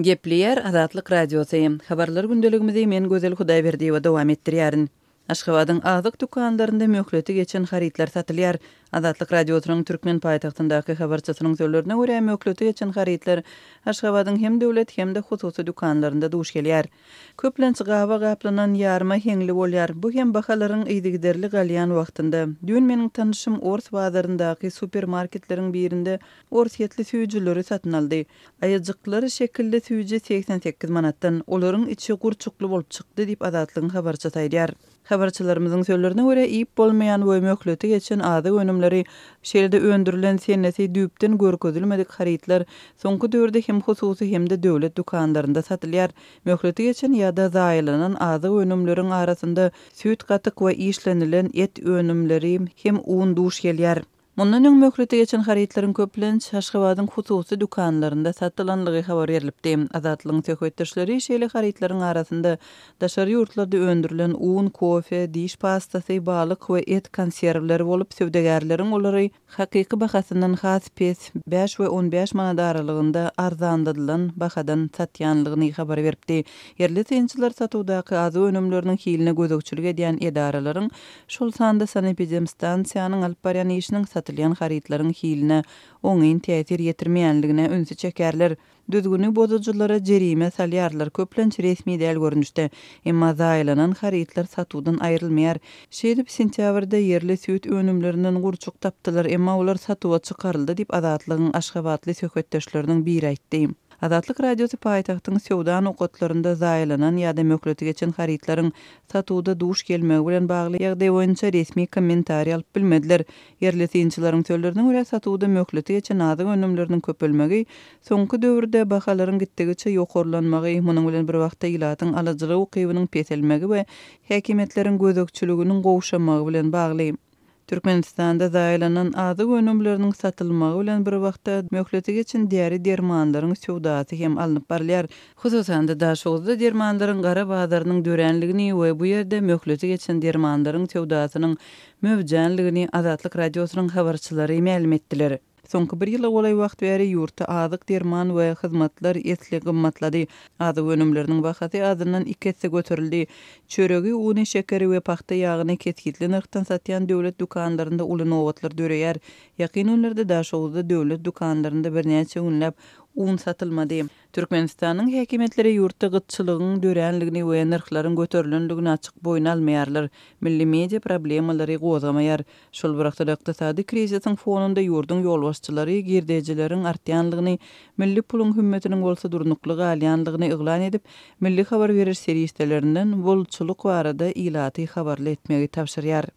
Gepleýär Azatlyk Radiosy. Habarlar gündeligimizi men Gözel Hudaýberdiýewa dowam etdirýärin. Aşgabadyň azyk dükanlarynda möhleti geçen harytlar satylýar. Azatlyk Radiosynyň türkmen paýtagtyndaky habarçysynyň sözlerine görä, möhleti geçen harytlar Aşgabadyň hem döwlet, hem-de hususy dükanlarynda duş gelýär. Köplenç gaba gaplanan ýarma heňli bolýar. Bu hem bahalaryň yzygiderli galýan wagtynda. Düýn meniň tanyşym ors bazaryndaky supermarketleriň birinde orsýetli süýjüleri satyn aldy. Aýajyklar şekilli süýji 88 manatdan. Olaryň içi gurçukly bolup çykdy diýip, Azatlygyň habarçysy aýdýar. Habarçylarymyzyň sözlerine görä, iýip bolmaýan we möhleti geçen azyk önümleri, şeýle-de öndürilen senesi düýpden görkezilmedik harytlar soňky döwürde hem hususy, hem-de döwlet dükanlarynda satylýar. Möhleti geçen ýa-da zaýalanan azyk önümleriň arasynda süýt-gatyk we işlenilen et önümleri hem un duş gelýär. Mundan öň möhleti geçen harytlaryň köplenç Aşgabadyň hususy dükanlarynda satylanlygy habar berlipdi. Azatlygyň söhbetdeşleri şeýle harytlaryň arasynda daşary ýurtlarda öndürilen un, kofe, diş pastasy, balyk we et konserwleri bolup, söwdagärleriň olary hakyky bahasyndan has pes, bäş we 15 manat aralygynda arzanladylan bahadan satýanlygyny habar beripdi. Ýerli synçylar satuwdaky azyk önümleriniň hiline gözegçilik edýän edaralaryň şol sanda sanepidemstansiýanyň alyp barýan işiniň satylýan harytlaryň hiline oňyn täsir ýetirmeýänligine ünsi çekerler. Düzgüni bozujylara jerime salýarlar, köplenç resmi däl görnüşde. Emma zaýalanan harytlar satuwdan aýrylmaýar. Şeýdip, sentýabrda ýerli süýt önümlerinden gurçuk tapdylar, emma olar satuwa çykaryldy diýip, Azatlygyň aşgabatly söhbetdeşleriniň biri aýtdy. Azatlyk Radiosy paýtagtyň söwda nokatlarynda zaýalanan ýa-da möhleti geçen harytlaryň satuwda duş gelmegi bilen bagly ýagdaý boýunça resmi kommentariý alyp bilmediler. Ýerli synçylaryň sözlerine görä, satuwda möhleti geçen azyk önümleriniň köpelmegi, soňky döwürde bahalaryň gitdigiçe ýokarlanmagy, munuň bilen bir wagtda ilatyň alyjylyk ukybynyň peselmegi we häkimiýetleriň gözegçiliginiň gowşamagy bilen bagly. Türkmenistanda zaýalanan azyk önümleriniň satylmagy bilen bir wagtda, möhleti geçen däri-dermanlaryň söwdasy hem alnyp barylýar. Hususan-da, Daşoguzda dermanlaryň gara bazarynyň döränligini we bu ýerde möhleti geçen dermanlaryň söwdasynyň möwjänligini Azatlyk Radiosynyň habarçylary mälim etdiler. Soňky bir ýyla golaý wagt bäri ýurtda azyk, derman we hyzmatlar esli gymmatlady. Azyk önümleriniň bahasy azyndan iki esse göterildi. Çöregi, uny, şekeri we pagta ýagyny kesgitli nyrhdan satýan döwlet dükanlarynda uly nobatlar döreýär. Ýakyn günlerde Daşoguzda döwlet dükanlarynda birnäçe günläp un satylmady. Türkmenistanyň häkimiýetleri ýurtda gytçylygyň döränligini we nyrhlaryň göterilenligini açyk boýun almaýarlar. Milli media problemalary gozgamaýar. Şol bir wagtda-da ykdysady krizisiň fonunda ýurduň ýolbaşçylary girdejileriň artýanlygyny, milli puluň hümmetiniň bolsa durnukly galýanlygyny yglan edip, milli habar beriş serişdelerinden bolçulyk barada ilaty habarly etmegi tabşyrýar.